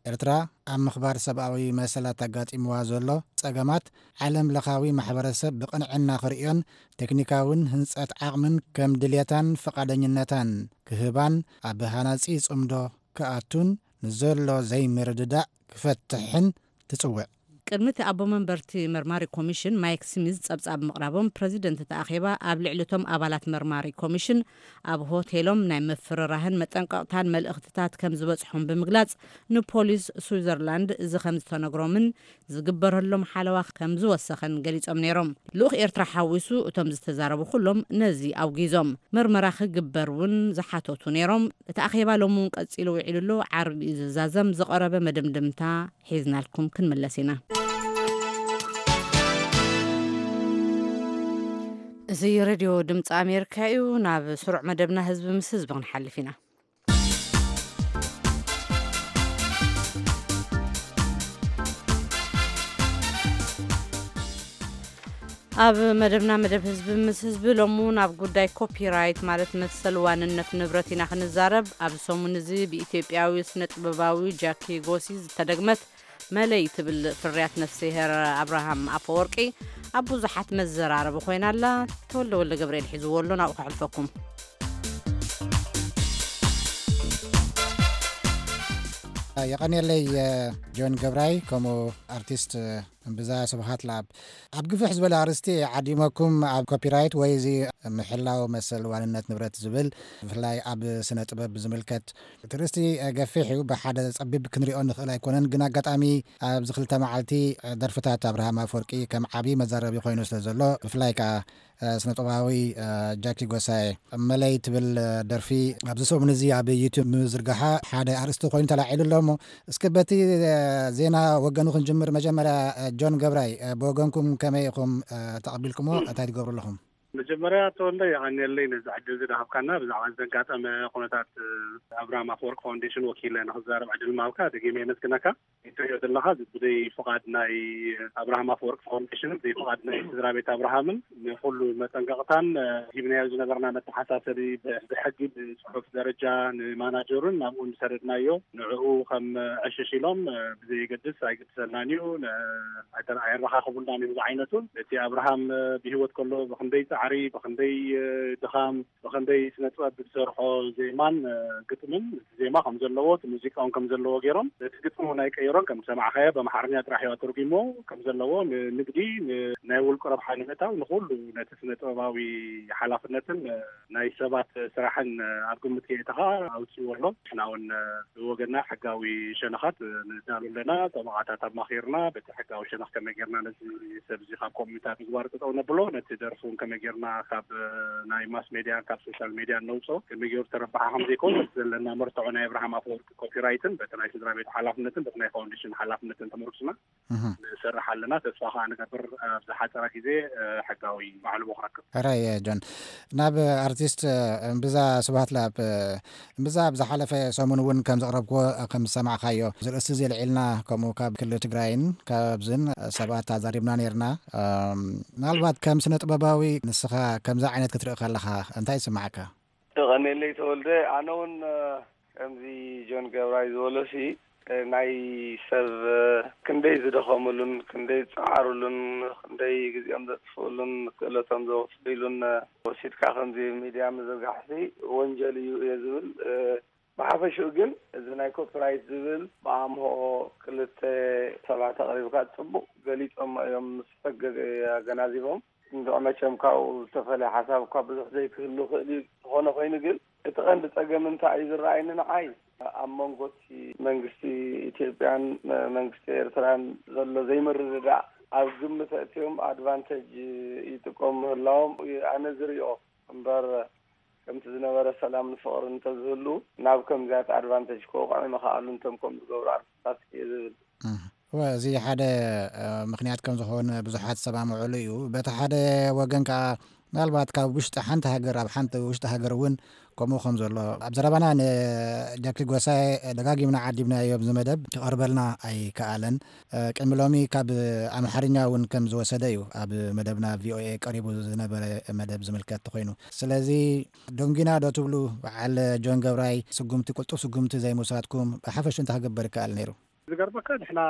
ኤርትራ ኣብ ምኽባር ሰብኣዊ መሰላት ኣጋጢምዋ ዘሎ ጸገማት ዓለም ለኻዊ ማሕበረሰብ ብቕንዕና ክርእዮን ቴክኒካውን ህንጸት ዓቕምን ከም ድልየታን ፍቓደኝነታን ክህባን ኣብ ሃናጺ ጽምዶ ክኣቱን ንዘሎ ዘይምርድዳእ ክፈትሕን ትጽውዕ። ቅድሚ እቲ ኣቦ መንበርቲ መርማሪ ኮሚሽን ማይክ ስሚዝ ጸብጻብ ምቕራቦም፣ ፕረዚደንት እቲ ኣኼባ ኣብ ልዕሊ እቶም ኣባላት መርማሪ ኮሚሽን ኣብ ሆቴሎም ናይ ምፍርራህን መጠንቀቕታን መልእኽትታት ከም ዝበጽሖም ብምግላጽ፣ ንፖሊስ ስዊዘርላንድ እዚ ከም ዝተነግሮምን ዝግበረሎም ሓለዋ ከም ዝወሰኸን ገሊጾም ነይሮም። ልኡኽ ኤርትራ ሓዊሱ እቶም ዝተዛረቡ ኩሎም ነዚ ኣውጊዞም። ምርመራ ክግበር እውን ዝሓተቱ ነይሮም። እቲ ኣኼባ ሎሚ እውን ቀጺሉ ውዒሉ ኣሎ። ዓርቢ እዩ ዝዛዘም። ዝቐረበ መደምደምታ ሒዝናልኩም ክንምለስ ኢና። እዚ ሬድዮ ድምፂ ኣሜሪካ እዩ። ናብ ስሩዕ መደብና ህዝቢ ምስ ህዝቢ ክንሓልፍ ኢና። ኣብ መደብና መደብ ህዝቢ ምስ ህዝቢ ሎሚ እውን ኣብ ጉዳይ ኮፒራይት ማለት መሰል ዋንነት ንብረት ኢና ክንዛረብ። ኣብዚ ሰሙን እዚ ብኢትዮጵያዊ ስነ ጥበባዊ ጃኪ ጎሲ ዝተደግመት መለይ ትብል ፍርያት ነፍስሄር ኣብርሃም ኣፈወርቂ ኣብ ብዙሓት መዘራረቢ ኮይና ኣላ። ተወልደ ወልደ ገብርኤል ሒዝዎ ኣሎ፣ ናብኡ ከሕልፈኩም። የቐንየለይ ጆን ገብራይ፣ ከምኡ ኣርቲስት እምብዛ ስብሃት ለኣብ። ኣብ ግፍሕ ዝበለ ኣርእስቲ ዓዲመኩም፣ ኣብ ኮፒራይት ወይ እዚ ምሕላው መሰል ዋንነት ንብረት ዝብል፣ ብፍላይ ኣብ ስነ ጥበብ ብዝምልከት እቲ ርእስቲ ገፊሕ እዩ። ብሓደ ጸቢብ ክንሪኦ ንኽእል ኣይኮነን፣ ግን ኣጋጣሚ ኣብዚ ክልተ መዓልቲ ደርፍታት ኣብርሃም ኣፈወርቂ ከም ዓቢ መዛረቢ ኮይኑ ስለ ዘሎ፣ ብፍላይ ከኣ ስነጥበባዊ ጃኪ ጎሳየ መለይ ትብል ደርፊ ኣብዚ ሰሙን እዚ ኣብ ዩቱብ ምዝርጋሓ ሓደ ኣርእስቲ ኮይኑ ተላዒሉ ኣሎ። እሞ እስኪ በቲ ዜና ወገኑ ክንጅምር። መጀመርያ ጆን ገብራይ፣ ብወገንኩም ከመይ ኢኹም ተቐቢልኩሞ? እንታይ ትገብሩ ኣለኹም? መጀመርያ ተወልደ፣ የቐንየለይ ነዚ ዕድል ዝደሃብካና። ብዛዕባ ዘጋጠመ ኩነታት ኣብርሃም ኣፈወርቂ ፋውንዴሽን ወኪለ ንክዛረብ ዕድል ምሃብካ ደጊመ የመስግነካ። እትሪኦ ዘለኻ፣ እዚ ብዘይ ፍቓድ ናይ ኣብርሃም ኣፈወርቂ ፋውንዴሽን፣ ብዘይ ፍቓድ ናይ ስድራ ቤት ኣብርሃምን ንኩሉ መጠንቀቕታን ሂብናዮ ዝነበርና መተሓሳሰቢ፣ ብሕጊ ብፅሑፍ ደረጃ ንማናጀሩን ናብኡ ዝሰደድናዮ፣ ንዕኡ ከም ዕሽሽ ኢሎም ብዘየገድስ ኣይግድሰናን እዩ፣ ኣየረኻኽቡልናን እዮም ዝዓይነቱን። እቲ ኣብርሃም ብህይወት ከሎ ብክንደይ ፃዕሪ፣ ብክንደይ ድኻም፣ ብክንደይ ስነ ጥበብ ዝሰርሖ ዜማን ግጥምን፣ እቲ ዜማ ከም ዘለዎ፣ እቲ ሙዚቃ እውን ከም ዘለዎ ገይሮም፣ እቲ ግጥሚ እውን ኣይቀየሮን። ከም ዝሰማዕካዮ ብኣምሓርኛ ጥራሕ እዩ ኣተርጉሞ። ከም ዘለዎ ንንግዲ፣ ናይ ውልቂ ረብሓ ንምእታው፣ ንኩሉ ነቲ ስነ ጥበባዊ ሓላፍነትን ናይ ሰባት ስራሕን ኣብ ግምት ከየእተኻ ኣውፅእዎ ኣሎ። ንሕና እውን ብወገና ሕጋዊ ሸነኻት ንዳሉ ኣለና። ጠበቓታት ኣማኺርና፣ በቲ ሕጋዊ ሸነኽ ከመይ ጌርና ነዚ ሰብ እዚ ካብ ኮሚታት ምግባር ጠጠው ነብሎ፣ ነቲ ደርፊ እውን ከመይ ጌርና ካብ ናይ ማስ ሜድያን ካብ ሶሻል ሜድያን ነውፅኦ፣ ከመይ ገይሩ ተረባሓ ከም ዘይከውን፣ በቲ ዘለና መርትዖ ናይ ኣብርሃም ኣፈወርቂ ኮፒራይትን በቲ ናይ ስድራ ቤት ሓላፍነትን በቲ ናይ ፋውንዴሽን ሓላፍነትን ተመርኩስና ንሰርሕ ኣለና። ተስፋ ከዓ ንገብር ኣብ ዝሓፀረ ግዜ ሕጋዊ ባዕሉ ክረክብ። ሕራይ ጆን፣ ናብ ኣርቲስት እምብዛ ስብሃት ለኣብ። እምብዛ ኣብ ዝሓለፈ ሰሙን እውን ከም ዘቕረብክዎ፣ ከም ዝሰማዕካዮ፣ እዚ ርእሲ እዚ ኣልዒልና፣ ከምኡ ካብ ክልል ትግራይን ካብዝን ሰባት ኣዛሪብና ነይርና። ምናልባት ከም ስነ ጥበባዊ ንስኻ ከምዚ ዓይነት ክትርኢ ከለኻ እንታይ ይስማዓካ? ተቐኔለይ ተወልደ፣ ኣነ እውን ከምዚ ጆን ገብራይ ዝበሎሲ፣ ናይ ሰብ ክንደይ ዝደኸምሉን ክንደይ ዝፀዓሩሉን ክንደይ ግዜኦም ዘጥፍኡሉን ክእለቶም ዘወፍይሉን ወሲድካ ከምዚ ሚድያ ምዝርጋሕሲ ወንጀል እዩ እየ ዝብል። ብሓፈሽኡ ግን እዚ ናይ ኮፒራይት ዝብል ብኣምሆ ክልተ ሰባት ኣቕሪብካ ጽቡቕ ገሊጾሞ እዮም፣ ምስ ሕጊ ኣገናዚቦም። እንድዕ መቸም ካብኡ ዝተፈለየ ሓሳብ እኳ ብዙሕ ዘይክህሉ ይኽእል እዩ። ዝኾነ ኮይኑ ግን እቲ ቀንዲ ጸገም እንታይ እዩ ዝረኣየኒ ንዓይ፣ ኣብ መንጎ እቲ መንግስቲ ኢትዮጵያን መንግስቲ ኤርትራን ዘሎ ዘይምርድዳእ ኣብ ግምት ኣእትዮም ኣድቫንቴጅ ይጥቀሙ ምህላዎም ኣነ ዝሪኦ እምበር፣ ከምቲ ዝነበረ ሰላምን ፍቕርን እንተዝህሉ ናብ ከምዚያት ኣድቫንቴጅ ክወቕዑ ምኸኣሉ እንቶም ከምኡ ዝገብሩ ኣርቲስታት እየ ዝብል። እወ፣ እዚ ሓደ ምኽንያት ከም ዝኾነ ብዙሓት ዝሰማምዑሉ እዩ። በቲ ሓደ ወገን ከኣ ምናልባት ካብ ውሽጢ ሓንቲ ሃገር ኣብ ሓንቲ ውሽጢ ሃገር እውን ከምኡ ከም ዘሎ ኣብ ዘረባና ንጃኪ ጎሳይ ደጋጊምና ዓዲብናዮ ኣብዚ መደብ ክቐርበልና ኣይከኣለን። ቅድሚ ሎሚ ካብ ኣምሓርኛ እውን ከም ዝወሰደ እዩ ኣብ መደብና ቪኦኤ ቀሪቡ ዝነበረ መደብ ዝምልከት ኮይኑ። ስለዚ ደንጊና ዶ ትብሉ በዓል ጆን ገብራይ ስጉምቲ፣ ቅልጡፍ ስጉምቲ ዘይምውሳድኩም ብሓፈሹ እንታይ ክግበር ይከኣል ነይሩ? ዝገርመካ ንሕና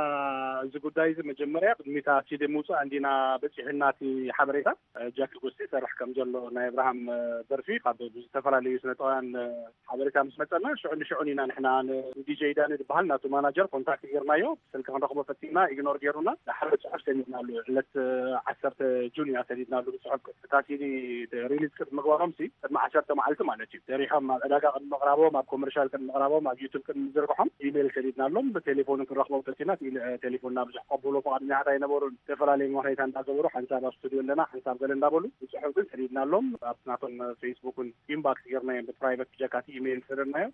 እዚ ጉዳይ እዚ መጀመርያ ቅድሚታ ሲዲ ምውፃእ እንዲና በፂሑና እቲ ሓበሬታ። ጃኪ ጎስቲ ይሰርሕ ከም ዘሎ ናይ ኣብርሃም ደርፊ ካብ ዝተፈላለዩ ስነጥበባውያን ሓበሬታ ምስ መፀና ሽዑ ንሽዑ ኢና ንሕና ንዲጄ ዳኒ ዝበሃል ናቱ ማናጀር ኮንታክት ጌርናዮ። ስልኪ ክንረኽቦ ፈቲና ኢግኖር ጌሩና። ሓደ ፅሑፍ ሰኒድናሉ ዕለት ዓሰርተ ጁን ኢና ሰኒድናሉ ብፅሑፍ። እታ ሲዲ ሪሊዝ ቅድሚ ምግባሮም ሲ ቅድሚ ዓሰርተ መዓልቲ ማለት እዩ ሰሪሖም ኣብ ዕዳጋ ቅድሚ ምቕራቦም ኣብ ኮመርሻል ቅድሚ ምቕራቦም ኣብ ዩቱብ ቅድሚ ምዝርግሖም ኢሜይል ሰኒድናሎም። ብቴሌፎን ክንረኽቦም ፈቲና ቴሌፎንና ብዙሕ ቀብሎ ፍቓድኛታት ኣይነበሩን። ዝተፈላለዩ ምኽንያታት እንዳገበሩ ሓንሳብ ኣብ ስቱዲዮ ኣለና ሓንሳብ ገለ እንዳበሉ ብፅሑፍ ግን ሰኒድናሎም። ኣብቲ ናቶም ፌስቡክን ኢንባክስ ጌርናዮም ብፕራይቨት ብጀካቲ ኢሜይል ሰደድናዮም።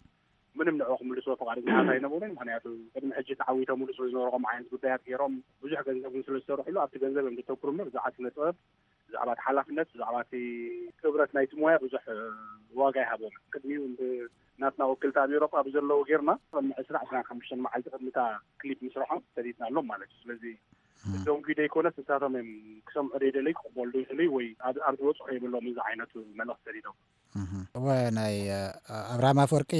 ምንም ንዕኡ ክምልስዎ ፍቓደኛታት ኣይነበሩን። ምኽንያቱ ቅድሚ ሕጂ ተዓዊቶምሉ ስለ ዝነበሩ ከምኡ ዓይነት ጉዳያት ገይሮም ብዙሕ ገንዘብ እውን ስለ ዝሰርሕሉ ኣብቲ ገንዘብ እዮም ዘተኩሩ እምበር ብዛዕባ ስነ ጥበብ ብዛዕባ እቲ ሓላፍነት ብዛዕባ እቲ ክብረት ናይቲ ሞያ ብዙሕ ዋጋ ይሃቦም። ቅድሚኡ ናትና ወክልቲ ኣብ ኤሮጳ ብዘለዉ ጌርና ቅድሚ ዕስራ ዕስራን ሓሙሽተን መዓልቲ ቅድሚታ ክሊፕ ምስርሖም ሰዲድናሎም ማለት እዩ። ስለዚ ደንጉ ደይኮነስ ንሳቶም እዮም ክሰምዑ ደይደለዩ ክቕበሉ ደይደለዩ ወይ ኣብ ዝበፅሑ የብሎም እዚ ዓይነቱ መልእኽቲ ሰዲዶም። እወ፣ ናይ ኣብርሃም ኣፈወርቂ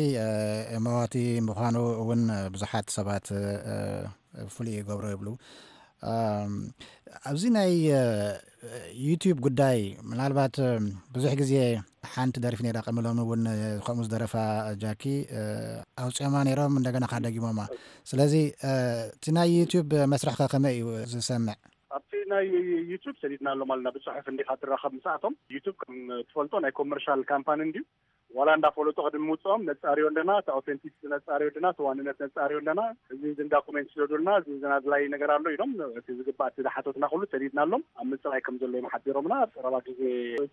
መዋቲ ምዃኑ እውን ብዙሓት ሰባት ፍሉይ ይገብሮ ይብሉ። ኣብዚ ናይ ዩቲዩብ ጉዳይ ምናልባት ብዙሕ ግዜ ሓንቲ ደርፊ ነራ ቀሚ ሎሚ እውን ከምኡ ዝደረፋ ጃኪ ኣውፅኦማ ነይሮም፣ እንደገና ከደጊሞማ። ስለዚ እቲ ናይ ዩቲዩብ መስርሕ ከ ከመይ እዩ ዝሰምዕ? ኣብቲ ናይ ዩቲዩብ ሰዲድና ኣሎም ኣለና። ብፅሑፍ እንዲካ ትራኸብ ምስኣቶም። ዩቲዩብ ከም ትፈልጦ ናይ ኮመርሻል ካምፓኒ እንድዩ። ዋላ እንዳፈለጡ ቅድሚ ምውፅኦም ነፃርዮ ኣለና፣ እቲ ኣውተንቲክስ ነፃርዮ ኣለና፣ እቲ ዋንነት ነፃርዮ ኣለና። እዚ እዚ ዳኩሜንት ስደዱልና፣ እዚ እዚ ኣድላይ ነገር ኣሎ ኢሎም እቲ ዝግባእ እቲ ዝሓተትና ኩሉ ሰዲድና ኣሎም። ኣብ ምፅራይ ከም ዘሎ እዮም ሓቢሮምና። ኣብ ቀረባ ግዜ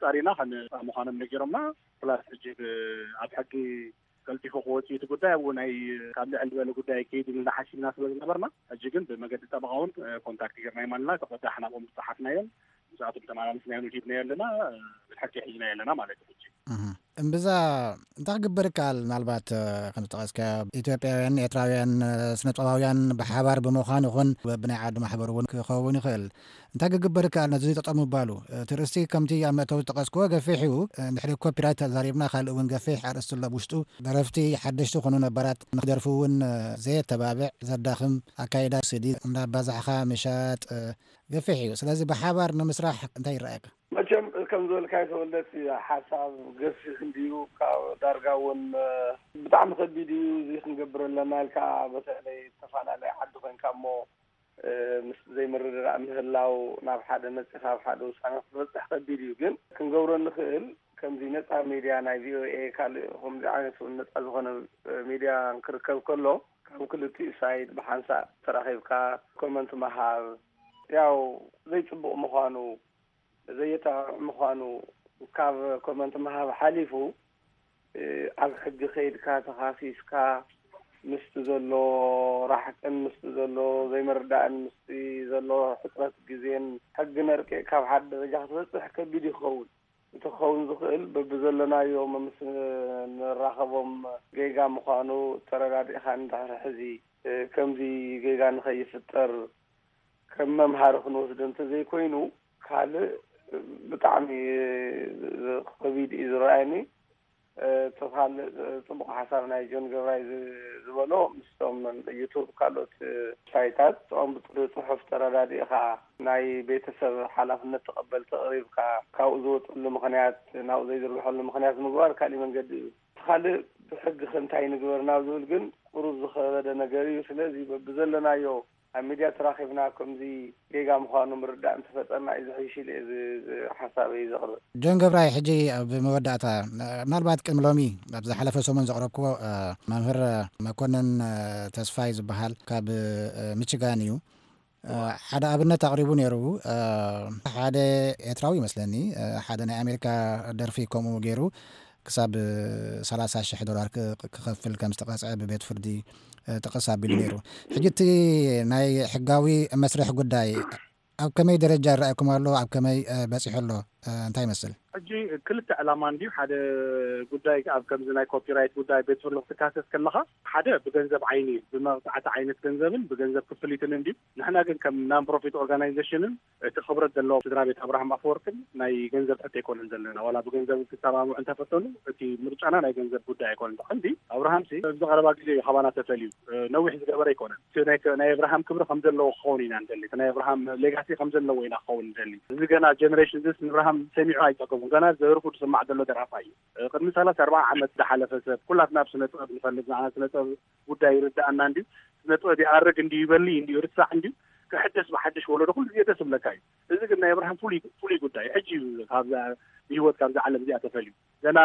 ፃሪና ከነፃ ምዃኖም ነጊሮምና። ፕላስ ሕጂ ብ- ኣብ ሕጊ ቀልጢፉ ክወፅእ እቲ ጉዳይ ኣብኡ ናይ ካብ ልዕል ዝበለ ጉዳይ ከይድ ኢልና ሓሲብና ስለ ዝነበርና ሕጂ ግን ብመገዲ ጠበቃ እውን ኮንታክት ገርና ይማልና ተቆዳሕና ብኦም ዝፀሓፍናዮም ምስኣቶም ተመላልስናዮ ንዲብናዮ ኣለና ብሕቂ ሒዝናዮ ኣለና ማለት እዩ ሕጂ። እምብዛ እንታይ ክግበር ይከኣል? ምናልባት ከም ዝጠቐስካ ኢትዮጵያውያን ኤርትራውያን ስነጥበባውያን ብሓባር ብምዃን ይኹን ብናይ ዓዲ ማሕበር እውን ክኸውን ይኽእል። እንታይ ክግበር ይከኣል ነዚ ጠጠው ምባሉ? እቲ ርእስቲ ከምቲ ኣብ መእተዊ ዝጠቐስክዎ ገፊሕ እዩ። እንድሕሪ ኮፒራይት ተዛሪብና ካልእ እውን ገፊሕ ኣርእስቲ ኣሎ ብውሽጡ። ደረፍቲ ሓደሽቲ ኮኑ ነባራት ንክደርፉ እውን ዘየተባብዕ ዘዳኽም ኣካይዳ፣ ሲዲ እንዳባዛሕኻ ምሻጥ ገፊሕ እዩ። ስለዚ ብሓባር ንምስራሕ እንታይ ይረኣየካ? መቸም ከም ዝበልካዮ ተወልደ እቲ ሓሳብ ገፊሕ እንድዩ ካብ ዳርጋ እውን ብጣዕሚ ከቢድ እዩ እዚ ክንገብር ኣለና ኢልካ በተለይ ዝተፈላለየ ዓዲ ኮይንካ እሞ ምስ ዘይምርድዳእ ምህላው ናብ ሓደ መፂኻ ኣብ ሓደ ውሳነ ክትበፅሕ ከቢድ እዩ ግን ክንገብሮ እንኽእል ከምዚ ነፃ ሚድያ ናይ ቪኦኤ ካልእ ከምዚ ዓይነት እውን ነፃ ዝኾነ ሚድያ ክርከብ ከሎ ካብ ክልቲኡ ሳይድ ብሓንሳእ ተራኺብካ ኮመንት ምሃብ ያው ዘይፅቡቕ ምዃኑ ዘየጣቕዕ ምዃኑ ካብ ኮመንት ምሃብ ሓሊፉ ኣብ ሕጊ ከይድካ ተኻሲስካ ምስቲ ዘሎ ራሕቅን ምስቲ ዘሎ ዘይምርዳእን ምስቲ ዘሎ ሕፅረት ግዜን ሕጊ ነርቂቕካ ኣብ ሓደ ደረጃ ክትበፅሕ ከቢድ እዩ ክኸውን። እቲ ክኸውን ዝኽእል በብዘለናዮ ምስ ንራኸቦም ጌጋ ምዃኑ ተረዳዲእኻ እንድሕር ሕዚ ከምዚ ጌጋ ንኸይፍጠር ከም መምሃሪ ክንወስዶ እንተዘይኮይኑ ካልእ ብጣዕሚ ከቢድ እዩ ዝረኣየኒ። እቲ ካልእ ፅቡቕ ሓሳብ ናይ ጆን ገብራይ ዝበሎ ምስቶም ዩቱብ ካልኦት ሳይታት እኦም ብፅሑፍ ተረዳዲእኻ ናይ ቤተሰብ ሓላፍነት ተቐበልቲ ኣቕሪብካ ካብኡ ዝወፀሉ ምኽንያት ናብኡ ዘይዝርግሐሉ ምኽንያት ምግባር ካሊእ መንገዲ እዩ። እቲ ካልእ ብሕጊ ከ እንታይ ንግበር ናብ ዝብል ግን ቁሩብ ዝኸበደ ነገር እዩ። ስለዚ በብዘለናዮ ኣብ ሚድያ ተራኺብና ከምዚ ጌጋ ምዃኑ ምርዳእ እንተፈጠርና እዩ ዝሕይሽ ኢለ እየ ሓሳበይ ዘቕርብ። ጆን ገብራይ፣ ሕጂ ኣብ መወዳእታ ምናልባት ቅድሚ ሎሚ ኣብ ዝሓለፈ ሰሙን ዘቕረብክዎ መምህር መኮንን ተስፋይ ዝበሃል ካብ ሚችጋን እዩ። ሓደ ኣብነት ኣቕሪቡ ነይሩ። ሓደ ኤርትራዊ ይመስለኒ ሓደ ናይ ኣሜሪካ ደርፊ ከምኡ ገይሩ ክሳብ ሰላሳ ሽሕ ዶላር ክኸፍል ከም ዝተቐፅዐ ብቤት ፍርዲ ጥቕስ ኣቢሉ ነይሩ። ሕጂ እቲ ናይ ሕጋዊ መስርሕ ጉዳይ ኣብ ከመይ ደረጃ ይረኣየኩም ኣሎ? ኣብ ከመይ በፂሑ ኣሎ? እንታይ ይመስል? ሕጂ ክልተ ዕላማ እንድዩ። ሓደ ጉዳይ ኣብ ከምዚ ናይ ኮፒራይት ጉዳይ ቤት ፍርዲ ክትካሰስ ከለኻ ሓደ ብገንዘብ ዓይኒ እዩ። ብመቕፃዕቲ ዓይነት ገንዘብን ብገንዘብ ክፍሊትን እንድዩ። ንሕና ግን ከም ናን ፕሮፊት ኦርጋናይዜሽንን እቲ ክብረት ዘለዎ ስድራ ቤት ኣብርሃም ኣፈወርቅን ናይ ገንዘብ ሕቶ ኣይኮነን ዘለና። ዋላ ብገንዘብ ክሰማምዑ እንተፈተኑ እቲ ምርጫና ናይ ገንዘብ ጉዳይ ኣይኮነን። ብቐንዲ ኣብርሃም ሲ ኣብዚ ቀረባ ግዜ እዩ ካባና ተፈልዩ። ነዊሕ ዝገበረ ኣይኮነን። እቲ ናይ ኣብርሃም ክብሪ ከም ዘለዎ ክኸውን ኢና ንደሊ። እቲ ናይ ኣብርሃም ሌጋሲ ከም ዘለዎ ኢና ክኸውን ንደሊ። እዚ ገና ጀነሬሽን ዚስ ንኣብርሃም ሰሚዑ ኣይፀገቡን። ገና ዘርፉ ዝስማዕ ዘሎ ደራፋይ እዩ። ቅድሚ ሰላሳ ኣርባዓ ዓመት ዝሓለፈ ሰብ ኩላትና ኣብ ስነ ጥበብ ንፈልጥ ንዓና ስነ ጥበብ ጉዳይ ይርድኣና እንድዩ። ስነ ጥበብ ይኣርግ እንድዩ ይበሊ እንድዩ ይርሳዕ እንድዩ ክሕደስ ብሓድሽ ወለዶ ኩሉ ግዜ ደስ ዝብለካ እዩ። እዚ ግን ናይ ኣብርሃም ፍሉይ ፍሉይ ጉዳይ እዩ። ሕጂ እዩ ካብዛ ብህይወት ካብዛ ዓለም እዚኣ ተፈልዩ። ገና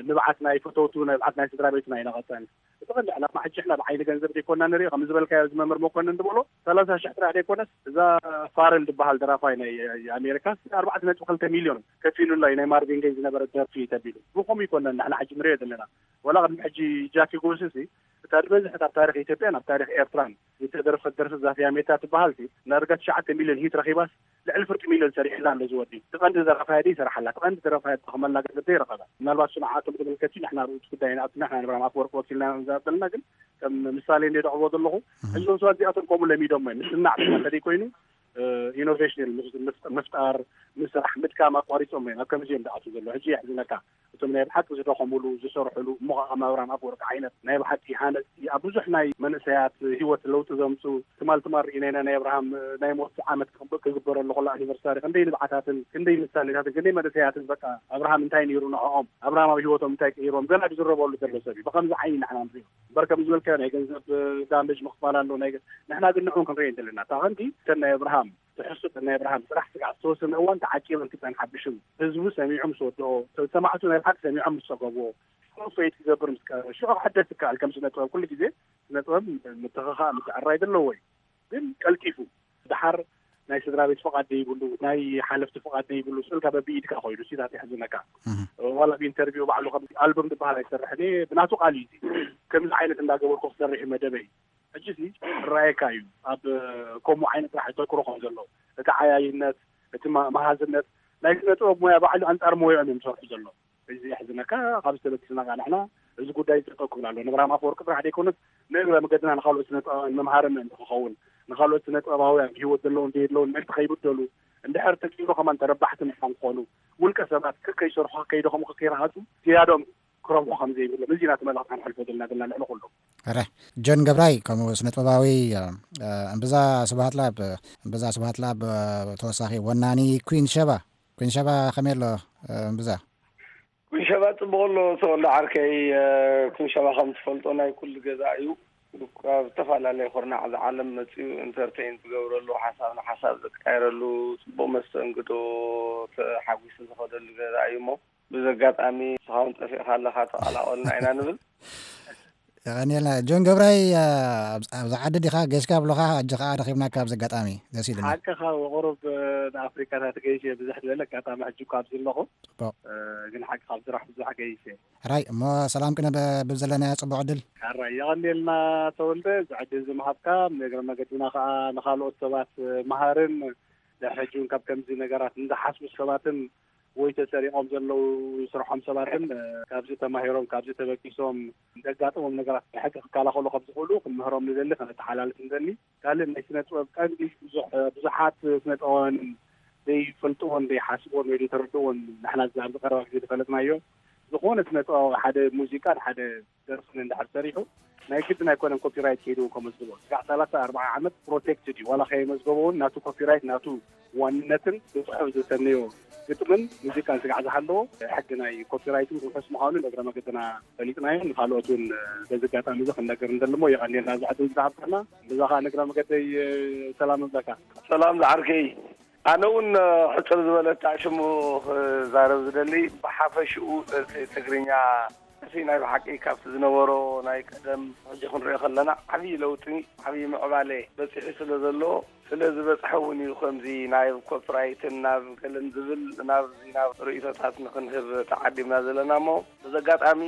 ንብዓት ናይ ፈተውቱ ንብዓት ናይ ስድራ ቤትና ኣይነቐፀን። እቲ ቀንዲ ዕላማ ሕጂ ሕና ብዓይኒ ገንዘብ ዘይኮና ንሪኦ ከም ዝበልካዮ እዚ መምህር መኮንን ዝበሎ ሰላሳ ሽሕ ጥራሕ ዘይኮነስ እዛ ፋረል ዝበሃል ደራፋይ ናይ ኣሜሪካ ኣርባዕተ ነጥቢ ክልተ ሚልዮን ከፊሉላ እዩ ናይ ማርቪን ገይ ዝነበረ ደርፊ ተቢሉ ብኸምኡ ይኮነን ንሕና ሕጂ ንሪኦ ዘለና። ዋላ ቅድሚ ሕጂ ጃኪ ጎስሲ እታ ዝበዝሐት ኣብ ታሪክ ኢትዮጵያን ኣብ ታሪክ ኤርትራን ዝተደርፈት ደርፊ ዛፍያ ሜታ ትበሃል ሲ ናርጋ ትሽዓተ ሚልዮን ሂት ረኺባስ ልዕሊ ፍርቂ ሚልዮን ሰሪሕላ ኣሎ ዝወዲ እቲ ቀንዲ ዘረፋያ ደይ ይሰርሓላ እቲ ቀንዲ ዘረፋያ ትጠኽመላ ገንዘብ ደይ ረኸባ ምናልባት ስንዓቶም ተመልከቲ ንሕና ርእቲ ጉዳይ ንኣትና ንሕና ንብራም ኣፍወርቂ ወኪልና ዘበልና ግን ከም ምሳሌ እንደ ደቕርቦ ዘለኹ ሕዞም ሰባት እዚኣቶም ከምኡ ለሚዶም ወይ ምስናዕ ብቻ እንተደይ ኮይኑ ኢኖቬሽን ምፍጣር ምስራሕ ምድካም ኣቋሪፆም እዮም ኣብ ከምዚ እዮም ዝኣትዉ ዘሎ ሕጂ የሕዝነካ። እቶም ናይ ብሓቂ ዝደኸሙሉ ዝሰርሕሉ፣ እሞ ከዓ ከም ኣብርሃም ኣፈወርቂ ዓይነት ናይ ብሓቂ ሃነፅቲ፣ ኣብ ብዙሕ ናይ መንእሰያት ህይወት ለውጢ ዘምፁ፣ ትማል ትማል ርኢና ኢና። ናይ ኣብርሃም ናይ ሞት ዓመት ክግበረሉ ከሎ፣ ኣኒቨርሳሪ፣ ክንደይ ንብዓታትን ክንደይ ምሳሌታትን ክንደይ መንእሰያትን፣ በቃ ኣብርሃም እንታይ ነይሩ ንዕኦም፣ ኣብርሃም ኣብ ህይወቶም እንታይ ቀይሮም፣ ገና ዝዝረበሉ ዘሎ ሰብ እዩ። ብከምዚ ዓይኒ ንሕና ንሪኦ እምበር፣ ከም ዝበልካዮ ናይ ገንዘብ ዳሜጅ ምኽፋል ኣሎ። ናይ ገ- ንሕና ግን ንዕኡ ክንሪኦ ዘለና። እታ ቀንዲ እተን ናይ ኣብርሃም ትሕዝቶ፣ እተን ናይ ኣብርሃም ስራሕ ስጋዕ ዝተወሰነ እዋን ተዓቂበን ክፀንሓ ብሽም ህዝቡ ሰሚዑ ምስ ወድኦ፣ ሰማዕቱ ናይ ብሓቂ ሰሚዖም ምስ ፀገብዎ፣ ሽዑ ፈይት ክገብር ምስ ቀረበ፣ ሽዑ ክሕደስ ይከኣል። ከም ስነ ጥበብ ኩሉ ግዜ ስነ ጥበብ ምትኽኻእ ምትዕራይ ዘለዎ እዩ። ግን ቀልጢፉ፣ ደሓር ናይ ስድራ ቤት ፍቓድ ዘይብሉ፣ ናይ ሓለፍቲ ፍቓድ ዘይብሉ፣ ስእልካ በብኢድካ ኮይኑ፣ ሲታት የሕዝነካ። ዋላ ብኢንተርቪው ባዕሉ ከም ኣልበም ዝበሃል ኣይሰርሕን እየ፣ ብናቱ ቃል እዩ። ከምዚ ዓይነት እንዳገበርኩ ክሰርሕ እዩ መደበይ። ሕጂ ሲ ይረኣየካ እዩ፣ ኣብ ከምኡ ዓይነት ስራሕ ተኩሮ ከም ዘሎ፣ እቲ ዓያይነት፣ እቲ ማ- መሃዝነት ናይ ስነ ጥበብ ሞያ ባዕሉ ኣንጻር ሞያኦም እዮም ዝሰርሑ ዘሎ። እዚ የሕዝነካ። ካብ ዝተበግስና ከዓ ንሕና እዚ ጉዳይ ጠጠው ክብል ኣሎ። ንብርሃም ኣፈወርቂ ጥራሕ ዘይኮነስ፣ ንእግረ መገድና ንካልኦት ስነ ጥበባውያን መምሃሪ ምእንቲ ክኸውን፣ ንካልኦት ስነ ጥበባውያን ብህይወት ዘለውን ዘየለውን ምእንቲ ከይብደሉ፣ እንድሕር ተኪኢሉ ከማን ተረባሕቲ ምዃን ክኾኑ፣ ውልቀ ሰባት ከከይሰርሑ፣ ከይደኸሙ፣ ከከይረሃፁ ዝያዶም ክረብሑ ከም ዘይብሎም፣ እዚ ናቲ መልእኽቲ ክንሕልፎ ዘለና ዘለና ልዕሊ ኩሉ። ረ ጆን ገብራይ፣ ከምኡ ስነ ጥበባዊ፣ እምብዛ ስብሃት ላብ እምብዛ ስብሃት ላብ ተወሳኺ ወናኒ ኩን ሸባ ኩን ሸባ ከመይ ኣሎ? እምብዛ ኩንሸባ ጽቡቕ ኣሎ። ተወልደ ዓርከይ፣ ኩንሸባ ከም ትፈልጦ ናይ ኩሉ ገዛ እዩ። ኣብ ዝተፈላለየ ኩርናዕ እዚ ዓለም መጺኡ ኢንተርቴይን ዝገብረሉ፣ ሓሳብ ንሓሳብ ዝቃየረሉ፣ ጽቡቕ መስተንግዶ ተሓጒሱ ዝኸደሉ ገዛ እዩ እሞ፣ ብዚ ኣጋጣሚ ንስኻ እውን ጠፊእካ ኣለኻ፣ ተቐላቐሉና ኢና ንብል። የቐንየልና። ጆን ገብራይ፣ ኣብዚ ዓዲ ዲኻ ገይሽካ ብሎኻ፣ ሕጂ ከኣ ረኺብናካ ኣብዚ ኣጋጣሚ። ደስ ኢሉና። ሓቅኻ፣ ብቑሩብ ንኣፍሪካታት ገይሽ እየ፣ ብዝሕ ዝበለ ኣጋጣሚ ሕጂ እኳ ኣብዚ ኣለኹ። ጽቡቕ። ግን ሓቂ ካብ ስራሕ ብዙሕ ገይሽ እየ። ሕራይ እሞ፣ ሰላም ቅነ ብብ ዘለናዮ ጽቡቕ ዕድል። ሕራይ የቐንየልና ተወልደ፣ እዚ ዕድል እዚ ምሃብካ፣ ንእግረ መገድና ከኣ ንኻልኦት ሰባት መሃርን ድሕሪ ሕጂ እውን ካብ ከምዚ ነገራት ንዝሓስቡ ሰባትን ወይ ተሰሪቖም ዘለዉ ስርሖም ሰባትን ካብዚ ተማሂሮም፣ ካብዚ ተበጊሶም፣ ዘጋጥሞም ነገራት ብሕጊ ክከላኸሉ ከም ዝኽእሉ ክንምህሮም ንደሊ፣ ከነተሓላልፍ ንደሊ። ካልእ ናይ ስነ ጥበብ ቀንዲ ብዙሕ ብዙሓት ስነ ጥበባውያን ዘይፈልጥዎን ዘይሓስብዎን ወይ ዘይተረድእዎን፣ ንሕና ኣብዚ ቀረባ ግዜ ዝፈለጥናዮ፣ ዝኾነ ስነ ጥበባዊ ሓደ ሙዚቃን ሓደ ደርፍን እንድሕር ሰሪሑ፣ ናይ ግድን ኣይኮነን ኮፒራይት ከይዱ ከመዝግቦ። ስጋዕ ሰላሳ ኣርባዓ ዓመት ፕሮቴክትድ እዩ። ዋላ ከየመዝገቦ እውን ናቱ ኮፒራይት፣ ናቱ ዋንነትን ብጽሑፍ ዝተነዮ ግጥምን ሙዚቃን ስጋዕ ዝሃለዎ፣ ሕጊ ናይ ኮፒራይትን ውሑስ ምዃኑ ንእግረ መገድና ፈሊጥናዮ። ንኻልኦት እውን በዚ ኣጋጣሚ እዚ ክንነግር ንደሊ እሞ፣ የቐንየልና እዚ ዕድል ዝሃብካና። ብዛ ኸኣ ንእግረ መገደይ ሰላም እብለካ። ሰላም ዝዓርከይ። ኣነ እውን ሕጽር ዝበለት ሽሙ ክዛረብ ዝደሊ፣ ብሓፈሽኡ ደርፊ ትግርኛ፣ እቲ ናይ ብሓቂ ካብቲ ዝነበሮ ናይ ቀደም ሕጂ ክንሪኦ ከለና ዓብዪ ለውጢ፣ ዓብዪ ምዕባለ በጺሑ ስለ ዘሎ፣ ስለ ዝበጽሐ እውን እዩ ከምዚ ናብ ኮፒራይትን ናብ ገለን ዝብል ናብዚ ናብ ርእይቶታት ንክንህብ ተዓዲምና ዘለና እሞ፣ በዚ ኣጋጣሚ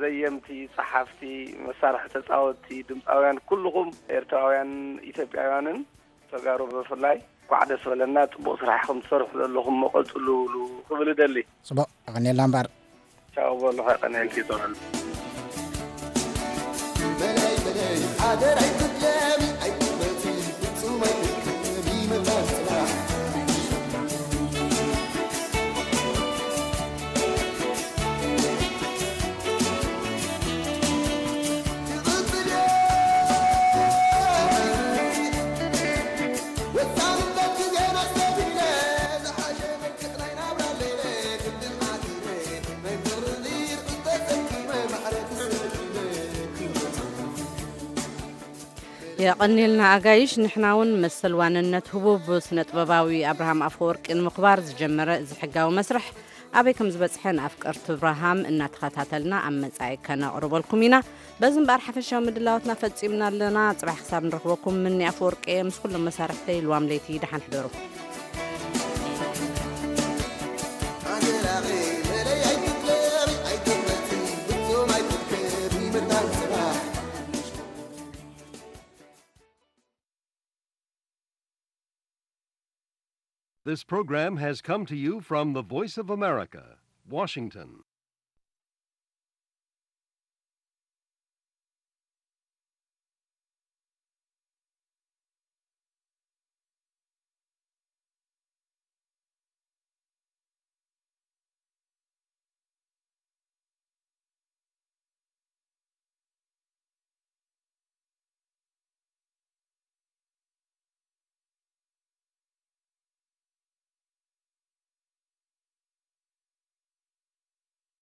ዘየምቲ፣ ጸሓፍቲ፣ መሳርሒ ተጻወትቲ፣ ድምጻውያን፣ ኩልኹም ኤርትራውያን ኢትዮጵያውያንን ተጋሩ ብፍላይ፣ እንኳዕ ደስ በለና። ጽቡቕ ስራሕ ኢኹም ትሰርሑ ዘለኹም፣ እሞ ቀጽልሉ ክብል እደሊ። ጽቡቕ፣ የቐንየልና እምበኣር። ቻው በሉ፣ ከቀንየልኪ ይጸውዕሉ። በላይ በላይ ሓደር ኣይትድለሚ፣ ኣይትበቲ፣ ፍጹም ኣይትድከሚ፣ መታን ጽናሕ። የቐንየልና ኣጋይሽ። ንሕና እውን መሰል ዋንነት ህቡብ ስነ ጥበባዊ ኣብርሃም ኣፈወርቂ ንምኽባር ዝጀመረ እዚ ሕጋዊ መስርሕ ኣበይ ከም ዝበጽሐ ንኣፍቀርቲ ኣብርሃም እናተኸታተልና ኣብ መጻኢ ከነቕርበልኩም ኢና። በዚ እምበኣር ሓፈሻዊ ምድላዋትና ፈጺምና ኣለና። ጽባሕ ክሳብ ንረኽበኩም ምኒ ኣፈወርቂ እየ ምስ ኩሎም መሳርሕተይ። ልዋም ለይቲ ደሓን ሕደሩ። This program has come to you from the Voice of America, Washington.